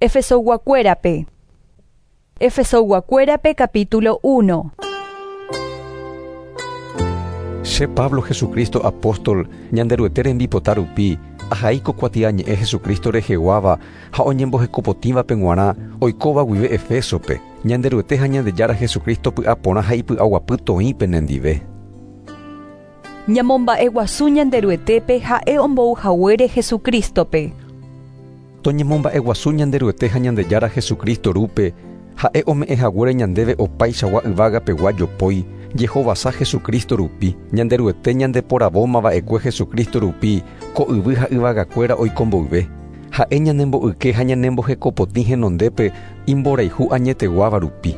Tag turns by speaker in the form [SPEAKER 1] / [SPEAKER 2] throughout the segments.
[SPEAKER 1] Efesoyguakuérape. Efesoyguakuérape capítulo 1.
[SPEAKER 2] Che Pablo Jesucristo apóstol, Ñanderuete rembipota rupi, ahai ko kuatiañe'ẽ Jesucristo reheguáva ha oñembohekopotĩvape g̃uarã oikóva guive Efésope, Ñanderuete ha Ñandejára Jesucristo py'aporã ha ipy'aguapy toĩ penendive.
[SPEAKER 1] Ñamomba'eguasu Ñanderuetépe ha'e ombouhaguére Jesucristo-pe.
[SPEAKER 2] Toñemomba'eguasu Ñanderuete ha Ñandejára Jesucristo Rúpe, ha'e ome'ẽhaguére ñandéve opaichagua yvágapegua jopói, jehovasa Jesucristo rupi, Ñanderuete ñandeporavómava'ekue Jesucristo rupi, ko yvy ha yvagakuéra oiko mboyve. Ha'e ñanembo'yke ha ñanembohekopotĩ henondépe imborayhu añeteguáva rupi.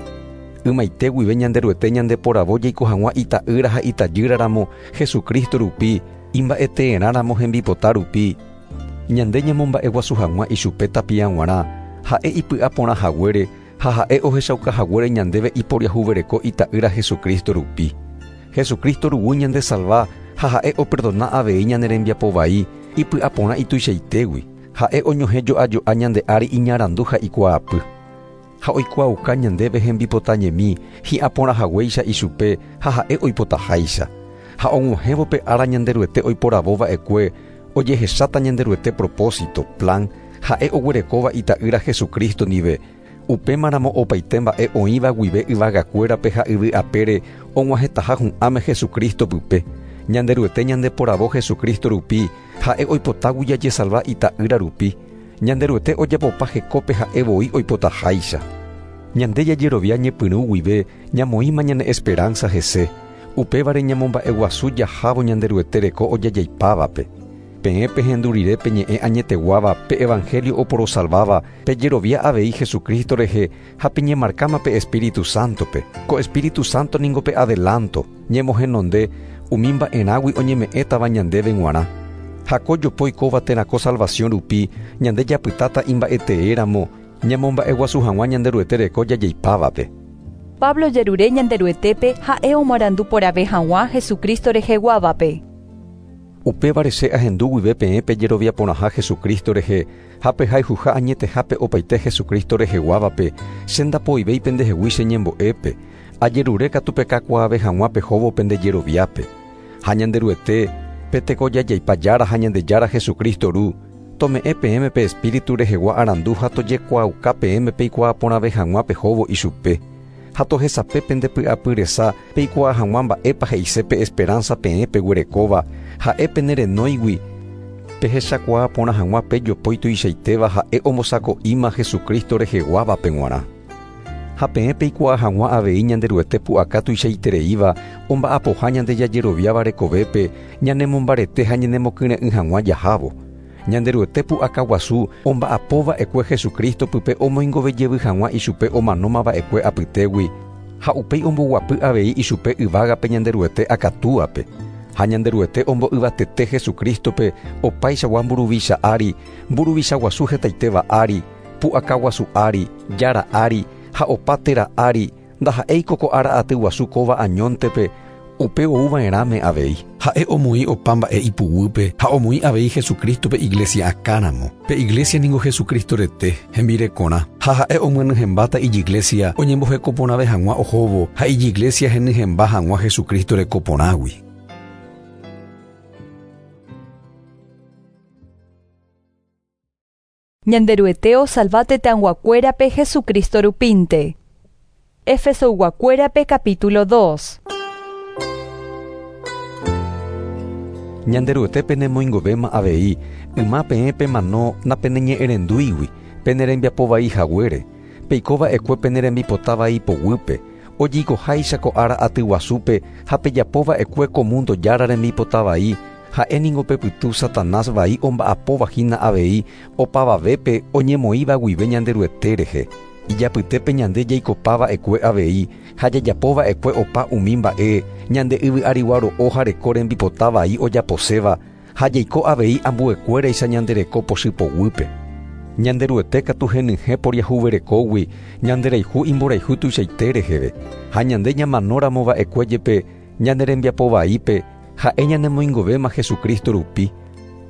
[SPEAKER 2] Ymaite guive Ñanderuete ñandeporavo jaiko hag̃ua ita'ýra ha itajýra ramo Jesucristo rupi, imba'eteerã ramo hembipota rupi, ñande ñamomba'eguasu hag̃ua ichupe tapia g̃uarã, ha'e ipy'aporãhaguére ha ha'e ohechaukahaguére ñandéve iporiahuvereko ita'ýra Jesucristo rupi. Jesucristo ruguy ñandesalva ha ha'e operdona avei ñane rembiapo vai ipy'aporã ituichaitégui, ha'e oñohẽjo'ajo'a ñande ári iñarandu ha ikuaapy. Ha oikuaauka ñandéve hembipotañemi hi'aporãhaguéicha ichupe ha ha'e oipotaháicha. Ha og̃uahẽvo pe ára Ñanderuete oiporavova'ekue ojehecháta Ñanderuete propósito, plan, ha'e oguerekóva ita'ýra Jesucristo ndive, upémaramo opaite mba'e oĩva guive yvagakuérape ha yvy apére og̃uahẽtaha hu'ãme Jesucristo pype. Ñanderuete ñandeporavo Jesucristo rupi, ha'e oipotágui jajesalva ita'ýra rupi. Ñanderuete ojapopa hekópe ha'e voi oipotaháicha. Ñande jajerovia ñepyrũ guive ñamoĩma ñane esperanza hese, upévare ñamomba'eguasu jahávo Ñanderuete reko ojajaipávape. Peẽ pehendu rire pe ñe'ẽ añeteguáva pe evangelio oporosalváva, pejerovia avei Jesucristo rehe ha peñemarkáma pe Espíritu Santo-pe. Ko Espíritu Santo ningo pe adelanto, ñemohenonde, umi mba'erãgui oñeme'ẽtava ñandéve g̃uarã. Ha ko jopói kóva térã ko salvación rupi, ñande japytáta imba'eteéramo, ñamomba'eguasu hag̃ua Ñanderuete reko jajaipávape.
[SPEAKER 1] Pablo ojerure Ñanderuetépe ha'e omoarandu porãve hag̃ua Jesucristo reheguávape.
[SPEAKER 2] Upévare che ahendu guive peẽ pejerovia porãha Jesucristo rehe ha pehayhuha añetehápe opaite Jesucristo reheguávape, che ndapoivéi pendehegui che ñembo'épe, ajerure katu pekakuaave hag̃ua pehóvo pende jeroviápe. Ha Ñanderuete, pe tekojajaipa Jára ha Ñandejára Jesucristo Ru, tome'ẽ peẽme pe Espíritu rehegua arandu ha tojekuaauka peẽme peikuaa porãve hag̃ua pehóvo ichupe, ha tohesape pende py'apy resa peikuaa hag̃ua mba'épa he'ise pe esperanza peẽ peguerekóva, ha'e pene renóigui, pehechakuaa porã hag̃ua pe jopói tuichaitéva ha'e ombosako'íma Jesucristo reheguávape g̃uarã. Ha peẽ peikuaa hag̃ua avei Ñanderuete pu'aka tuichaitereíva omba'apoha ñande jajeroviáva rekovépe ñanemombarete ha ñanemokyre'ỹ hag̃ua jahávo. Ñanderuete pu'aka guasu omba'apova'ekue Jesucristo pype omoingove jevy hag̃ua ichupe omanómava'ekue apytégui ha upéi omboguapy avei ichupe yvágape Ñanderuete akatúape. Ha Ñanderuete ombo'yvatete Jesucristo-pe opaichagua mburuvicha ári, mburuvicha guasu hetaitéva ári, pu'aka guasu ári, jára ári ha opa téra ári, ndaha'éiko ko ára aty guasu kóva añóntepe, upe ouva'erãme avei.
[SPEAKER 3] Ha'e omoĩ opa mba'e ipuguýpe ha omoĩ avei Jesucristo-pe iglésia akãramo. Pe iglésia ningo Jesucristo rete, hembirekorã, ha ha'e omyenyhẽmbáta ijiglésia oñemboheko porãve hag̃ua ohóvo ha ijiglésia henyhẽmba hag̃ua Jesucristo reko porãgui.
[SPEAKER 1] Ñanderuete osalva tetãyguakuérape Jesucristo rupínte. Efesoyguakuérape capítulo 2.
[SPEAKER 2] Ñanderuete penemoingovéma avei, yma peẽ pemano napeneñe'ẽrendúigui, pene rembiapo vai haguére, peiko va'ekue pene rembipota vai poguýpe, ojeikoháicha ko ára aty guasúpe ha pejapo va'ekue ko múndo Jára rembipota vai, Ha'e ningo pe pytu Satanás vai omba'apóva hína avei opavavépe oñemoĩva guive Ñanderuete rehe. Ijapytépe ñande jaikopa va'ekue avei ha jajapo va'ekue opa umi mba'e ñande yvy arigua ro'o ha reko rembipota vai ojaposéva ha jaiko avei ambuekuéraicha ñande reko pochy poguýpe. Ñanderuete katu henyhẽ poriahuverekógui ñanderayhu imborayhu tuichaite reheve, ha ñande ñamanóramo va'ekue jepe ñane rembiapo vaípe, Ha'e ñanemoingovéma Jesucristo rupi,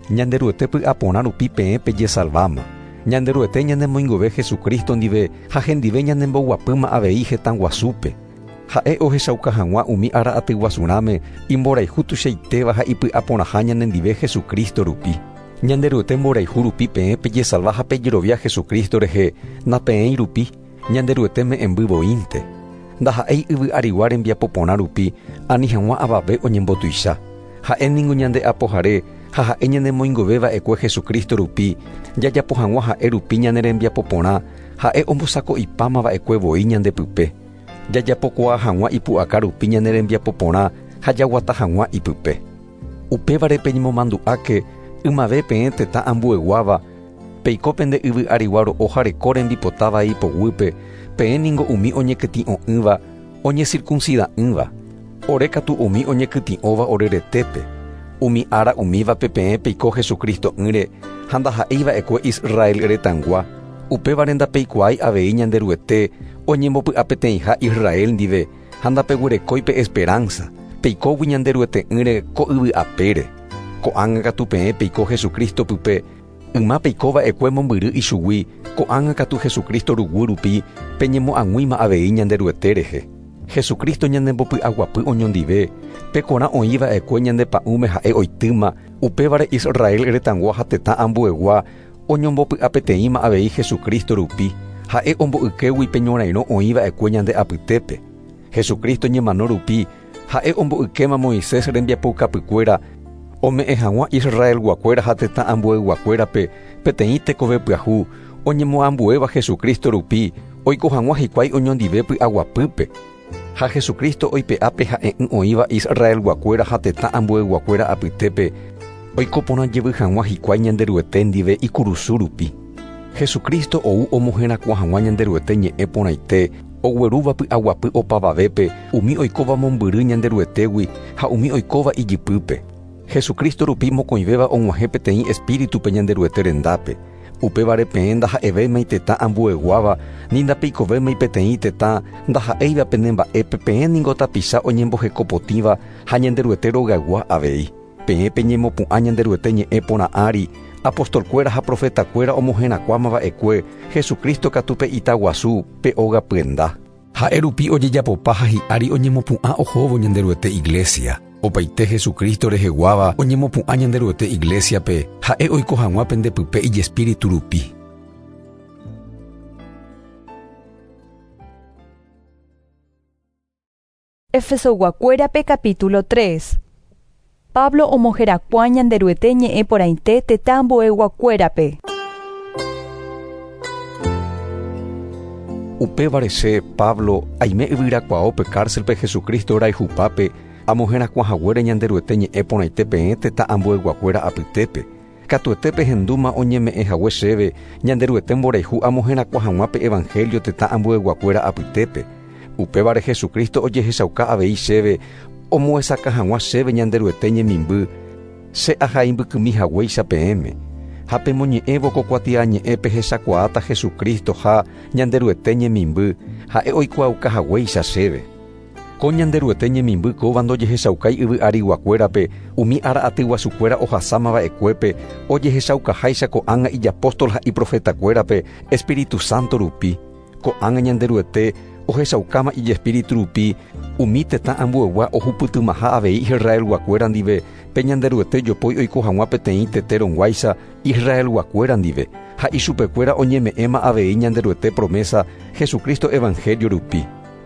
[SPEAKER 2] Ñanderuete py'aporã rupi peẽ pejesalváma. Ñanderuete ñanemoingove Jesucristo ndive ha hendive ñanemboguapýma avei hetãguasúpe. Ha'e ohechauka hag̃ua umi ára atyguasurãme imborayhu tuichaitéva ha ipy'aporãha ñanendive Jesucristo rupi. Ñanderuete mborayhu rupi peẽ pejesalva ha pejerovia Jesucristo rehe napeẽi rupi, Ñanderuete me'ẽmby voínte. Ndaha'éi yvy arigua rembiapo porã rupi ani hag̃ua avave oñembotuicha. Ha'e ningo ñande apohare ha ha'e ñanemoingove va'ekue Jesucristo rupi, jajapo hag̃ua ha'e rupi ñane rembiapo porã, ha'e ombosako'ipáma va'ekue voi ñande pype. Jajapokuaa hag̃ua ipu'aka rupi ñane rembiapo porã ha jaguata hag̃ua ipype. Upévare peñemomandu'áke ymave peẽ tetã ambueguáva, peiko pende yvy arigua ro'o ha reko rembipota vai poguýpe, peẽ ningo umi oñekytĩ'o'ỹva, oñecircuncida'ỹva. Ore katu umi oñekytĩ'óva ore retépe. Umi ára umívape peẽ peiko Jesucristo'ỹre ha ndaha'éi va'ekue Israel retãgua, upévare ndapeikuaái avei Ñanderuete oñembopy'apeteĩha Israel ndive ha ndapeguerekói pe esperanza, peikógui Ñanderuete'ỹre ko yvy apére. Ko'ág̃a katu peẽ peiko Jesucristo pype, yma peiko va'ekue mombyry ichugui, ko'ág̃a katu Jesucristo ruguy rupi peñemo'ag̃uíma avei Ñanderuete rehe. Jesucristo ñanembopy'aguapy oñondive, pe korã oĩ va'ekue ñande pa'ũme ha'e oitýma, upévare Israel retãgua ha tetã ambuegua oñombopy'apeteĩma avei Jesucristo rupi, ha'e ombo'ykégui pe ñorairõ oĩ va'ekue ñande apytépe. Jesucristo ñemano rupi, ha'e ombo'ykéma Moisés rembiapoukapykuéra ome'ẽ hag̃ua Israelguakuéra ha tetã ambueyguakuérape peteĩ tekove pyahu oñemoambuéva Jesucristo rupi oiko hag̃ua hikuái oñondive py'aguapýpe. Ha Jesucristo oipe'a pe ha'e'ỹ oĩva Israelguakuéra ha tetã ambueyguakuéra apytépe oiko porã jevy hag̃ua hikuái Ñanderuete ndive ikurusu rupi. Jesucristo ou omoherakuã hag̃ua Ñanderuete ñe'ẽ porãite oguerúva py'aguapy opavavépe umi oikóva mombyry Ñanderuetégui ha umi oikóva ijypýpe. Jesucristo rupi mokõivéva og̃uahẽ peteĩ espíritupe Ñanderuete rendápe. Upévare peẽ ndaha'evémai tetã ambueguáva ni ndapeikovémai peteĩ tetã ndaha'éiva pene mba'épe peẽ ningo tapicha oñembohekopotĩva ha Ñanderuete rogaygua avei. Peẽ peñemopu'ã Ñanderuete ñe'ẽ porã ári, apostolkuéra ha profetakuéra omoherakuãma va'ekue, Jesucristo katu pe ita guasu, pe óga pyenda.
[SPEAKER 3] Ha'e rupi ojejapopa ha hi'ári oñemopu'ã ohóvo Ñanderuete iglesia. Opaite Jesucristo reheguáva oñemopu'ã Ñanderuete iglesia-pe, ha'e oiko hag̃ua pende pype ijespíritu rupi.
[SPEAKER 1] Efesoguakuérape capítulo 3. Pablo omoherakuã Ñanderuete ñe'ẽ porãite tetã ambueyguakuérape.
[SPEAKER 2] Upévare che, Pablo, aime yvyrakuaópe cárcel-pe Jesucristo rayhupápe amoherakuã haguére Ñanderuete ñe'ẽ porãite peẽ tetã ambueyguakuéra apytépe. Katuete pehendúma oñeme'ẽ hague chéve Ñanderuete mborayhu amoherakuã hag̃ua pe evangelio tetã ambueyguakuéra apytépe. Upévare Jesucristo ojehechauka avei chéve omohesakã hag̃ua chéve Ñanderuete ñemimby, che ahai mbykymi haguéicha peẽme. Ha pemoñe'ẽvo ko kuatiañe'ẽ pehechakuaáta Jesucristo ha Ñanderuete ñemimby, ha'e oikuaauka haguéicha chéve. Ko Ñanderuete ñemimby kóva ndojehechaukái yvy ariguakuérape umi ára atyguasukuéra ohasáma va'ekuépe ojehechaukaháicha ko'ág̃a ijapóstol ha iprofetakuérape Espíritu Santo rupi. Ko'ág̃a Ñanderuete ohechaukáma ijespíritu rupi umi tetã ambuegua ohupytymaha avei Israelguakuéra ndive pe Ñanderuete jopói oiko hag̃ua peteĩ tete rõguáicha Israelguakuéra ndive ha ichupekuéra oñeme'ẽma avei Ñanderuete promesa Jesucristo evangelio rupi.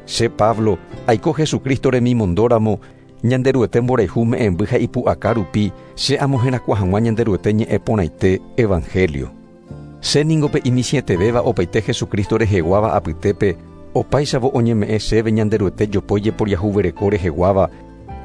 [SPEAKER 2] Che Pablo, aiko Jesucristo remimondóramo, Ñanderuete mborayhu me'ẽmby ha ipu'aka rupi che amoherakuã hag̃ua Ñanderuete ñe'ẽ porãite evangelio. Che ningo pe imichĩetevéva opaite Jesucristo reheguáva apytépe, opáichavo oñeme'ẽ chéve Ñanderuete jopói jeporiahuvereko reheguáva,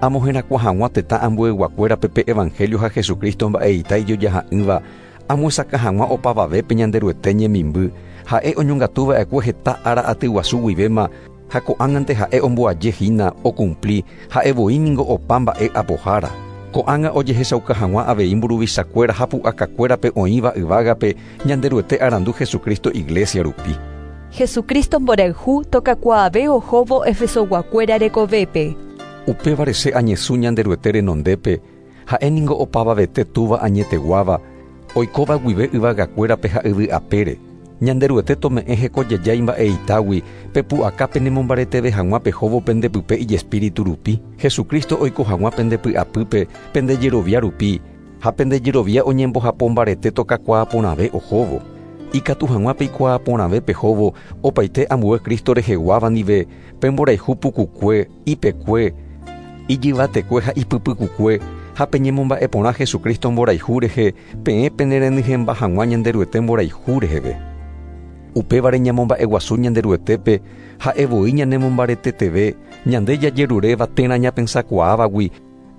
[SPEAKER 2] amoherakuã hag̃ua tetã ambueyguakuérape pe evangelio ha Jesucristo mba'eita ijojaha'ỹva, amohesakã hag̃ua opavavépe Ñanderuete ñemimby, ha'e oñongatuva'ekue heta ára atyguasu guivéma ha ko'ág̃ante ha'e omboaje hína okumpli, ha'e voi ningo opa mba'e apohára. Ko'ág̃a ojehechauka hag̃ua avei mburuvichakuéra ha pu'akakuérape oĩva yvágape Ñanderuete arandu Jesucristo iglesia rupi.
[SPEAKER 1] Jesucristo mborayhu tokakuaave ohóvo Efesoguakuéra rekovépe.
[SPEAKER 2] Upévare che añesũ Ñanderuete renondépe, ha'e ningo opavavete túva añeteguáva, Oikóva guive yvagakuérape ha yvy apére. Ñanderuete tome'ẽ hekojejái mba'eitágui pepu'aka penemombareteve hag̃ua pehóvo pendepype ijespíritu rupi. Jesucristo oiko hag̃ua pendepy'apýpe pendejerovia rupi ha pendejerovia oñembohapo mbarete tokakuaa porãve ohóvo. Ikatu hag̃ua peikuaa porãve pehóvo opaite ambue Cristo reheguáva ndive pemborayhu pukukue, ipekue, ijyvatekue ha ipypykukue ha peñemomba'eporã Jesucristo mborayhu rehe peẽ penerenyhẽmba hag̃ua Ñanderuete mborayhu reheve. Upévare ñamomba'eguasu Ñanderuetépe ha'e voi ñanemombareteteve ñande jajeruréva térã ñapensakuaávagui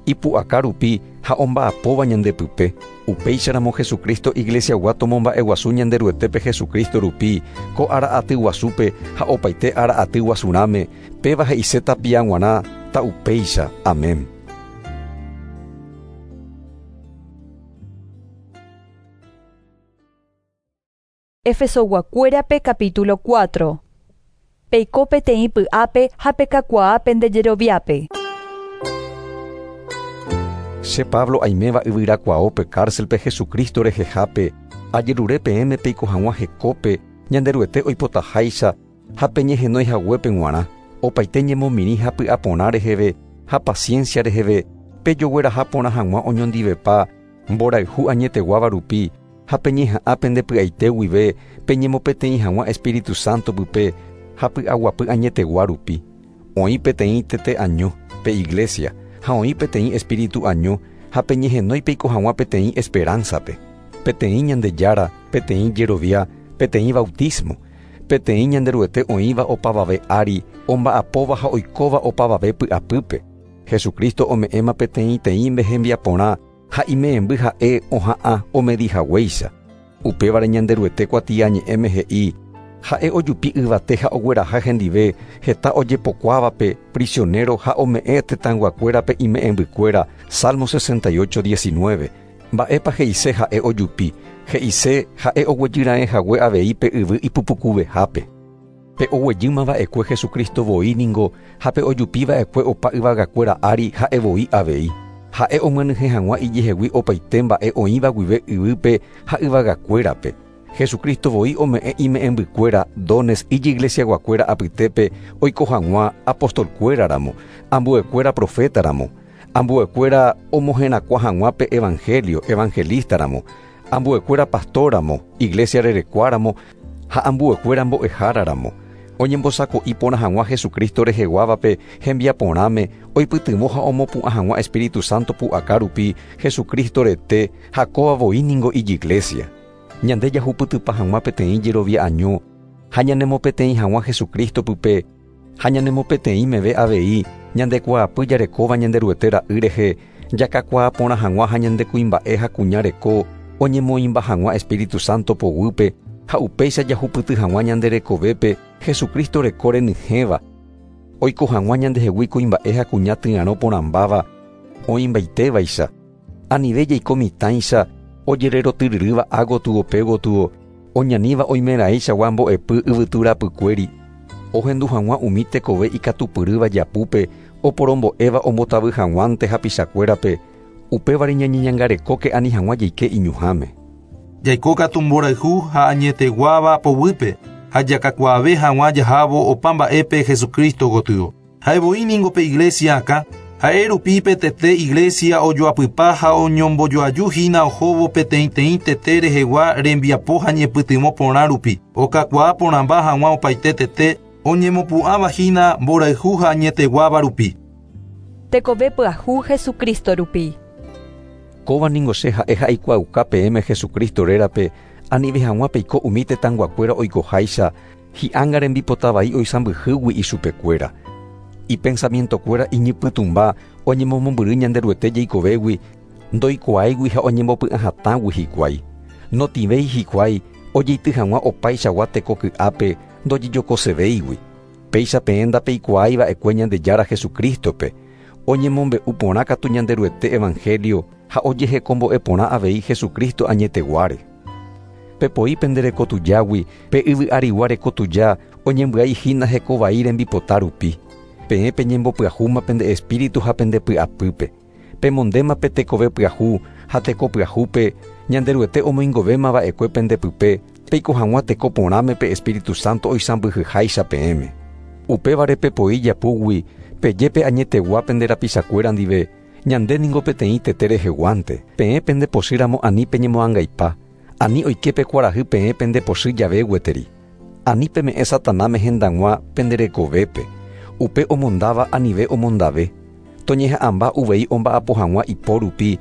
[SPEAKER 2] ipu'aka rupi ha omba'apóva ñandepype. Upéicharamo Jesucristo iglesiagua tomomba'eguasu Ñanderuetépe Jesucristo rupi ko ára aty guasúpe ha opaite ára aty guasurãme péva he'ise tapia g̃uarã ta'upéicha. Amén.
[SPEAKER 1] Efesoguakuérape capítulo 4. Peiko peteĩ py'ápe ha pekakuaa pendejeroviápe.
[SPEAKER 2] Che Pablo aiméva yvyrakuaópe cárcelpe Jesucristo rehehápe ajerure peẽme peiko hag̃ua hekópe Ñanderuete oipotaháicha ha peñehenói haguépe g̃uarã. Opaite ñemomirĩ ha py'aporã reheve ha paciencia reheve pejogueraha porã hag̃ua oñondivepa mborayhu añeteguáva rupi ha peñeha'ã pendepy'aite guive peñemopeteĩ hag̃ua Espíritu Santo pype ha py'aguapy añetegua rupi. Oĩ peteĩ tete año, pe iglesia, ha oĩ peteĩ espíritu año ha peñehenói peiko hag̃ua peteĩ esperanza-pe. Peteĩ Ñandejára, peteĩ jerovia, peteĩ bautismo, peteĩ Ñanderuete oĩva opavave ári, omba'apóva ha oikóva opavave py'apýpe. Jesucristo ome'ẽma peteĩteĩme hembiaporã ha ime'ẽmby ha'e oha'ã omedihaguéicha. Upévare Ñanderuete kuatiañe'ẽme he'i ha'e ojupi yvate ha ogueraha hendive heta ojepokuávape prisionero ha ome'ẽ tetãyguakuérape ime'ẽmbykuéra. Salmo 68:19. Mba'épa he'ise ha'e ojupi, he'ise ha'e oguejyraẽ hague avei pe yvy ipupukuvehápe. Pe oguejýma va'ekue Jesucristo voi ningo ha pe ojupi va'ekue opa yvagakuéra ári ha'e voi avei. Ha'e omyenyhẽ hag̃ua ijehegui opaite mba'e oĩva guive yvýpe ha yvagakuérape. Jesucristo voi ome'ẽ ime'ẽmbykuéra dones ijiglesiaguakuéra apytépe oiko hag̃ua apostolkuéraramo, ambuekuéra profetaramo, ambuekuéra omoherakua hag̃ua pe evangelio evangelistaramo, ambuekuéra pastoramo, iglesia rerekuáramo ha ambuekuéra mbo'eháraramo. Oñembosako'i porã hag̃ua Jesucristo reheguávape hembiaporãme oipytyvõ ha omopu'ã hag̃ua Espíritu Santo pu'aka rupi Jesucristo rete ha kóva voi ningo ijiglesia. Ñande jahupytypa hag̃ua peteĩ jerovia año ha ñanemopeteĩ hag̃ua Jesucristo pype ha ñanemopeteĩ meve avei ñandekuaapy jarekóva Ñanderuete ra'y rehe jakakuaa porã hag̃ua ha ñandekuimba'e ha kuña reko oñemoĩmba hag̃ua Espíritu Santo poguýpe ha upéicha jahupyty hag̃ua ñande rekovépe Jesucristo reko renyhẽva oiko hag̃ua ñandehegui kuimba'e ha kuña tyarõ porãmbáva oĩmbaitévaicha. Anive jaiko mitãicha ojererotyryrýva ágotyo pégotyo oñaníva oimeraẽichagua mbo'epy yvyturapykuéri ohendu hag̃ua umi tekove ikatupyrýva japúpe oporombo'éva ombotavy hag̃uánte hapichakuérape upévare ñañeñangarekóke ani hag̃ua jaike iñuhãme.
[SPEAKER 4] Jaiko katu mborayhu ha añeteguáva poguýpe ha jakakuaave hag̃ua jahávo opa mba'épe Jesucristo gotyo. Ha'e voi ningo pe iglesia akã, ha'e rupi pe tete iglesia ojoapypa ha oñombojoaju hína ohóvo peteĩteĩ tete rehegua rembiapo ha ñepytyvõ porã rupi. Okakuaa porãmba hag̃ua opaite tete oñemopu'ãva hína mborayhu ha añeteguáva rupi.
[SPEAKER 1] Tekove pyahu Jesucristo rupi.
[SPEAKER 2] Kóva ningo che ha'e ha'eikuaauka peẽme Jesucristo rérape anive hag̃ua peiko umi tetãyguakuéra oikoháicha hi'ánga rembipota vai oisãmbyhýgui ichupekuéra. Ipensamientokuéra iñypytũmba oñemomombyry Ñanderuete jeikovégui ndoikuaáigui ha oñembopy'ahatãgui hikuái. Notĩvéi hikuái ojeity hag̃ua opaichagua teko ky'ápe ndojejokosevéigui. Péicha peẽ ndapeikuaái va'ekue Ñandejára Jesucristope. Oñemombe'u porã katu Ñanderuete evangelio ha ojehekombo'e porã avei Jesucristo añeteguáre. Pepoi pende rekotujágui pe yvy arigua rekotuja oñembyai hína hekovai rembipota rupi. Peẽ peñembopyahúma pende espíritu ha pende py'apýpe. Pemondéma pe tekove pyahu ha teko pyahúpe Ñanderuete omoingovéma va'ekue pendepype, peiko hag̃ua teko porãme pe Espíritu Santo oisãmbyhyháicha peẽme. Upévare pepoi japúgui, peje pe añetegua pende rapichakuéra ndive, ñande ningo peteĩ tete reheguánte. Peẽ pendepochýramo ani peñemoangaipa, ani oike pe kuarahy peẽ pendepochy jave gueteri. Ani peme'ẽ Satanáme hendag̃ua penderekovépe, upe omondáva anive omondave. Toñeha'ãmba uvei omba'apo hag̃ua ipo rupi,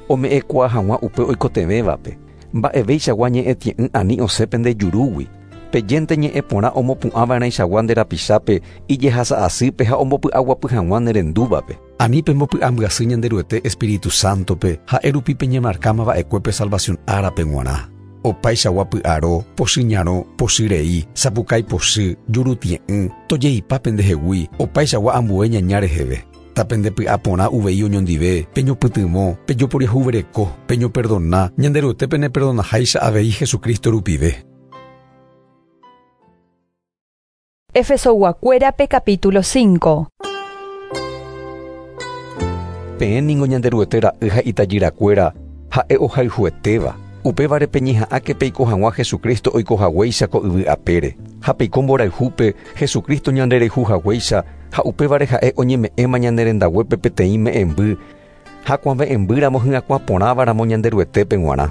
[SPEAKER 2] ome'ẽkuaa hag̃ua upe oikotevẽvape. Mba'evéichagua ñe'ẽtie'ỹ ani osẽ pende jurúgui. Pejénte ñe'ẽ porã omopu'ãva'erãichagua nde rapichápe ijehasa'asýpe ha ombopy'aguapy hag̃ua nerendúvape.
[SPEAKER 3] Ani pembopy'ambyasy Ñanderuete Espíritu Santope ha'e rupi peñemarkáma va'ekue pe salvación árape g̃uarã. Opaichagua py'aro, pochyñarõ, pochyrei, sapukái pochy, jurutie'ỹ, tojeipa pendehegui, opaichagua ambue ñaña reheve. Tapendepy'aporã uvei oñondive, peñopytyvõ, pejoporiahuvereko, peñoperdona, Ñanderuete peneperdonaháicha avei Jesucristo rupive.
[SPEAKER 1] Efesoguakuérape capítulo 5.
[SPEAKER 2] Peẽ ningo Ñanderuete ra'y ha itajyrakuéra ha'e ohayhuetéva. Upévare peñeha'ãke peiko hag̃ua Jesucristo oikohaguéicha ko yvy apére. Ha peiko mborayhúpe Jesucristo ñanderehuhaguéicha ha upévare ha'e oñeme'ẽma ñanerendaguépe peteĩ me'ẽmby ha kuave'ẽmbýramo hyakuã porãvaramo Ñanderuetépe g̃uarã.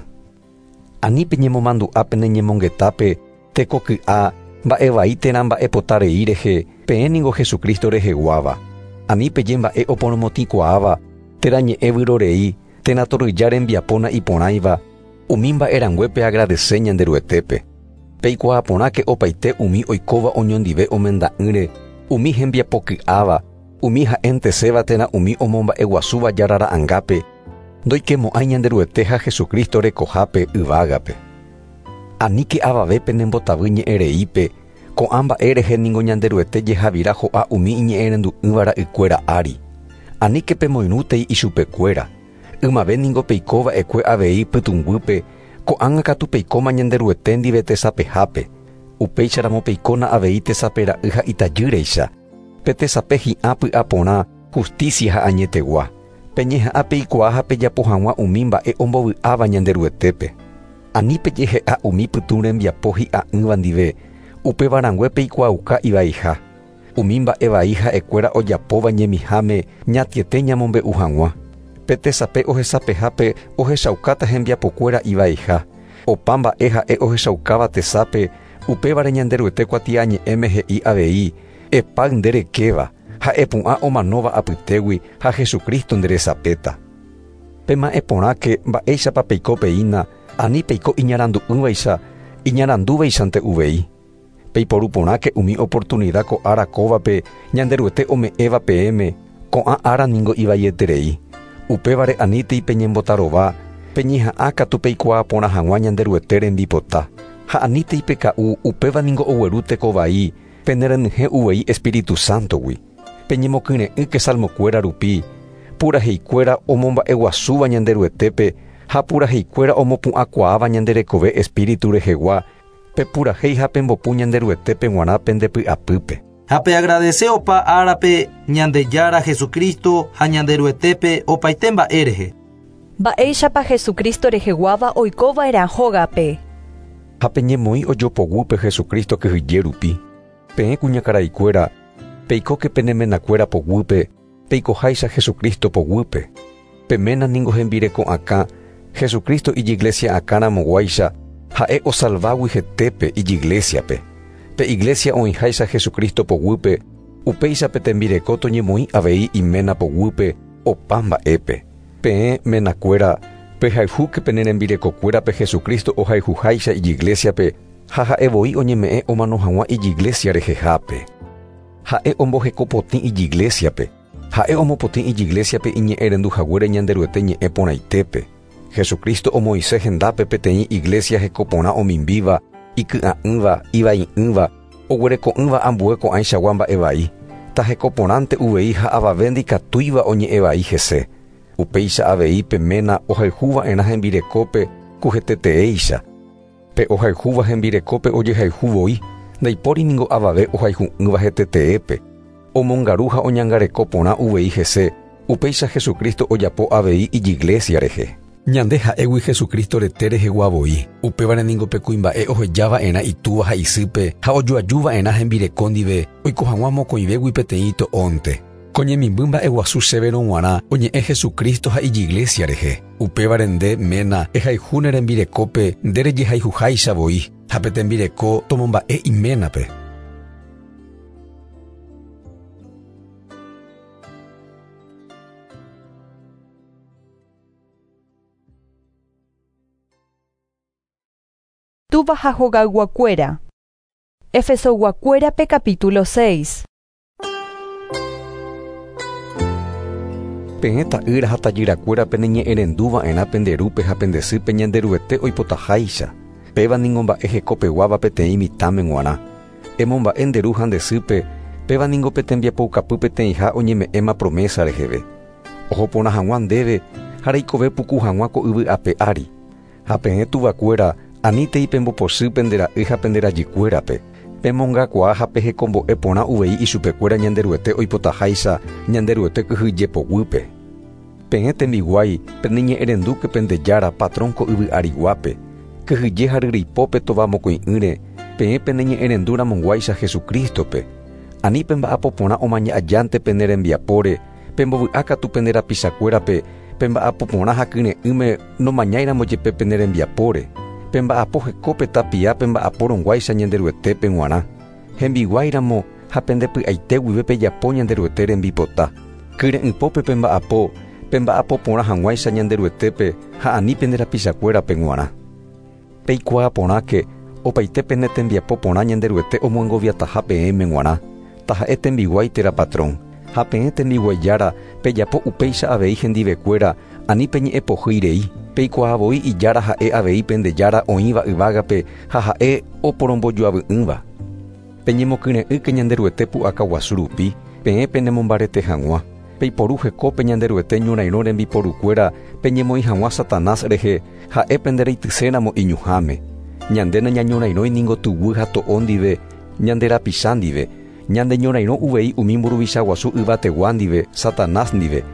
[SPEAKER 2] Ani peñemomandu'a peneñemongetápe tekoky'a mba'evai térã mba'epota rei rehe peẽ ningo Jesucristo reheguáva. Ani peje mba'e oporomotĩkuaáva térã ñe'ẽ vyrorei térã toryja rembiapóna iporãiva umi mba'erangue peagradece Ñanderuetépe. Peikuaa porãke opaite umi oikóva oñondive omenda'ỹre, umi hembiapoky'áva, umi ha'enteséva térã umi omomba'eguasúva jarara'ãngápe, ndoikemo'ãi Ñanderuete ha Jesucristo rekohápe yvágape. Aníke avave penembotavy ñe'ẽreípe, ko'ã mba'e rehe ningo Ñanderuete jehavira ho'a umi iñe'ẽrendu'ỹva ra'ykuéra ári. Aníke pemoirũtei ichupekuéra. Ymave ningo peikova'ekue avei pytũnguýpe, ko'ág̃a katu peikóma Ñanderuete ndive tesapehápe. Upéicharamo peikóna avei tesapera'y ha itajýreicha. Pe tesape hi'ã py'aporã, justicia ha añetegua. Peñeha'ã peikuaa ha pejapo hag̃ua umi mba'e ombovy'áva Ñanderuetépe. Ani pejehe'a umi pytũ rembiapo hi'a'ỹva ndive, upéva peikuaauka ivaiha. Umi mba'e vai ha'ekuéra ojapóva ñemiháme ñatiete ñamombe'u hag̃ua. Pe tesape ohesapehápe ohechaukáta hembiapokuéra ivaiha. Opa mba'e ha'e ohechaukáva tesape, upévare Ñanderuete kuatiañe'ẽme he'i avei, epáy nderekéva, ha epu'ã omanóva apytégui ha Jesucristo nderesapéta. Pema'ẽ porãke mba'éichapa peiko peína, ani peiko iñarandu'ỹvaicha, iñarandúvaichante uvei. Peiporu porãke umi oportunidad ko ára kóvape Ñanderuete ome'ẽva peẽme, ko'ã ára ningo ivaieterei. Upévare anítei peñembotarova, peñeha'ã katu peikuaa porã hag̃ua Ñanderuete rembipota. Ha anítei peka'u upéva ningo ogueru tekovai, penerenyhẽ uvei Espíritu Santogui. Peñemokyre'ỹke salmokuéra rupi, puraheikuéra omomba'eguasúva Ñanderuetépe ha puraheikuéra omopu'ãkuaáva ñanderekove Espíritu rehegua, pepurahéi ha pembopu Ñanderuetépe g̃uarã pendepy'apýpe.
[SPEAKER 4] Ha peagradece opa árape Ñandejára Jesucristo ha Ñanderuetépe opaite mba'e rehe.
[SPEAKER 1] Mba'éichapa Jesucristo reheguáva oikova'erã hógape.
[SPEAKER 2] Ha peñemoĩ ojopoguýpe Jesucristo kyhyje rupi. Peẽ kuñakaraikuéra, peikóke penemenakuéra poguýpe, peikoháicha Jesucristo poguýpe. Pe ména ningo hembireko akã, Jesucristo ijiglesia akãramoguáicha, ha'e osalvágui hetépe ijiglesiape. Pe iglesia oĩháicha Jesucristo poguýpe, upéicha pe tembireko toñemoĩ avei iména poguýpe opa mba'épe. Peẽ menakuéra, pehayhúke pene rembirekokuérape Jesucristo ohayhuháicha ijiglesiape ha ha'e voi oñeme'ẽ omano hag̃ua ijiglesia rehehápe. Ha'e ombohekopotĩ ijiglesiape. Ha'e omopotĩ ijiglesiape iñe'ẽrenduhaguére Ñanderuete ñe'ẽ porãitépe. Jesucristo omoĩse hendápe peteĩ iglesia hekoporã omimbíva, iky'a'ỹva, ivai'ỹva, oguereko'ỹva ambue ko'ãichagua mba'evai. Tahekoporãnte uvei ha avave ndikatúiva oñe'ẽvai hese. Upéicha avei pe ména ohayhuva'erã hembirekópe kuheteteéicha. Pe ohayhúva hembirekópe ojehayhu voi, ndaipóri ningo avave ohayhu'ỹva heteteépe. Omongaru ha oñangareko porã uvei hese, upéicha Jesucristo ojapo avei ijiglesia rehe.
[SPEAKER 3] Ñande ha'égui Jesucristo rete rehegua voi. Upévare ningo pe kuimba'e ohejava'erã itúva ha isýpe ha ojoajuva'erã hembireko ndive oiko hag̃ua mokõivégui peteĩ to'ónte. Ko ñemimby mba'eguasu chéverõ g̃uarã oñe'ẽ Jesucristo ha ijiglesia rehe. Upévare nde, ména, ehayhu ne rembirekópe nde rejehayhuháicha voi, ha pe tembireko tomomba'e iménape.
[SPEAKER 1] Túva ha hogayguakuéra. Efesoyguakuérape capítulo 6.
[SPEAKER 2] Peẽ ta'ýra ha tajyrakuéra peneñe'ẽrenduva'erã pende rúpe ha pende sýpe Ñanderuete oipotaháicha. Péva ningo mba'e hekopeguáva peteĩ mitãme g̃uarã. Emomba'e nde ru ha nde sýpe, péva ningo pe tembiapoukapy peteĩha oñeme'ẽma promesa reheve. Oho porã hag̃ua ndéve ha reikove puku hag̃ua ko yvy ape ári. Ha peẽ tuvakuéra, anítei pembopochy pende ra'y ha pende rajykuérape. Pemongakuaa ha pehekombo'e porã uvei ichupekuéra Ñanderuete oipotaháicha Ñanderuete kyhyje poguýpe. Peẽ tembiguái, peneñe'ẽrendúke pende Jára, patrón ko yvy ariguápe. Kyhyje ha ryryipópe tova mokõi'ỹre, peẽ peneñe'ẽrendu ramonguáicha Jesucristo-pe. Ani pemba'apo porã omaña ajánte pene rembiapóre, pembovy'a katu pende rapichakuérape, pemba'apo porã ha kyre'ỹme nomañáiramo jepe pene rembiapóre. Pemba'apo hekópe tapia pemba'apo rõguáicha Ñanderuetépe g̃uarã. Hembiguáiramo ha pende py'aite guive pejapo Ñanderuete rembipota. Kyre'ỹpópe pemba'apo, pemba'apo porã hag̃uáicha Ñanderuetépe ha ani pende rapichakuérape g̃uarã. Peikuaa porãke, opaite pene tembiapo porã Ñanderuete omoengoviataha peẽme g̃uarã, taha'e tembiguái térã patrón. Ha peẽ tembiguaijára pejapo upéicha avei hendivekuéra ani peñe'ẽpohýi rei. Peikuaa voi ijára ha'e avei pende Jára oĩva yvágape ha ha'e oporombojoavy'ỹva. Peñemokyre'ỹke Ñanderuete pu'aka guasu rupi, peẽ penemombarete hag̃ua. Peiporu hekópe Ñanderuete ñorairõ rembiporukuéra peñemoĩ hag̃ua Satanás rehe ha'e pendereityséramo iñuhãme. Ñande nañañorairõi ningo tuguy ha to'o ndive, ñande rapicha ndive. Ñande ñorairõ uvei umi mburuvicha guasu yvategua ndive, Satanás ndive,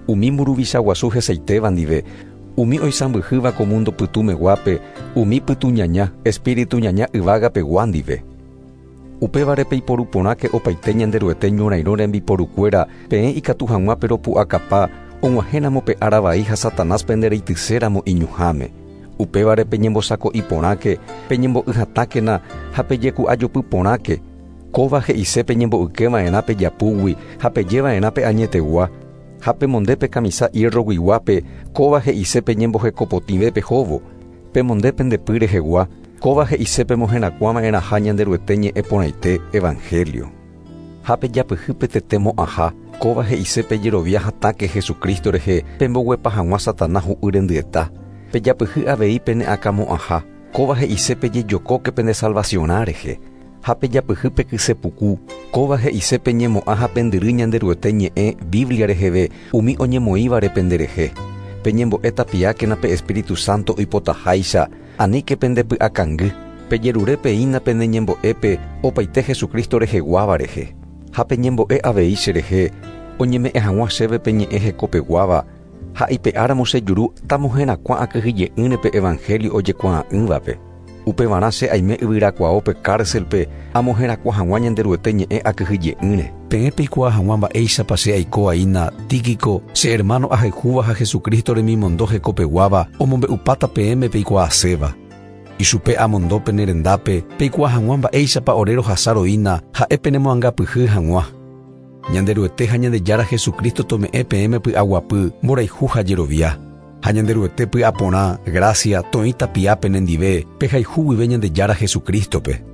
[SPEAKER 2] umi mburuvicha guasu hesaitéva ndive, umi oisãmbyhýva ko mundo pytũmeguápe, umi pytũñaña, espíritu ñaña yvágapegua ndive. Upévare peiporu porãke opaite Ñanderuete ñorairõ rembiporukuéra peẽ ikatu hag̃ua peropu'akapa og̃uahẽramo pe ára vai ha Satanás pendereityséramo iñuhãme. Upévare peñembosako'i porãke, peñembo'y hatãkena ha pejeku'ajopy porãke. Kóva he'ise peñembo'ykeva'erã pejapúgui ha pejeva'erã pe añetegua. Ha pemonde pe kamisa hierroguiguápe, kóva he'ise peñembohekopotĩve pehóvo. Pemonde pende py rehegua, kóva he'ise pemoherakuãva'erãha Ñanderuete ñe'ẽ porãite Evangelio. Ha pejapyhy pe tete mo'ãha, kóva he'ise pejerovia hatãke Jesucristo rehe pemboguepa hag̃ua Satanás hu'y rendyeta. Pejapyhy avei pene akãmo'ãha, kóva he'ise pejejokóke pende salvacionrã rehe. Ha pejapyhy pe kyse puku, kóva he'ise peñemo'ã ha pendyry Ñanderuete ñe'ẽ Biblia reheve umi oñemoĩvare penderehe. Peñembo'e tapiákena pe Espíritu Santo oipotaháicha, aníke pendepy'akangy. Pejerure peína pene ñembo'épe opaite Jesucristo reheguáva rehe. Ha peñembo'e avei cherehe, oñeme'ẽ hag̃ua chéve pe ñe'ẽ hekopeguáva, ha ipe'áramo che juru tamoherakuã akyhyje'ỹre pe Evangelio ojekuaa'ỹvape. Upevarã che aime yvyrakuaópe cárcelpe amoherakuã hag̃ua Ñanderuete ñe'ẽ akyhyje'ỹre.
[SPEAKER 3] Peẽ peikuaa hag̃ua mba'éichapa che aiko aína Tíquico, che hermano ahayhúva ha Jesucristo remimondo hekopeguáva omombe'upáta peẽme peikuaaséva. Ichupe amondo pene rendápe peikuaa hag̃ua mba'éichapa ore rohasa roína ha'e penemoangapyhy hag̃ua. Ñanderuete ha Ñandejára Jesucristo tome'ẽ peẽme py'aguapy, mborayhu ha jerovia. Ha Ñanderuete py'aporã, gracia, toĩ tapia penendive, pehayhu guive Ñandejára Jesucristo-pe.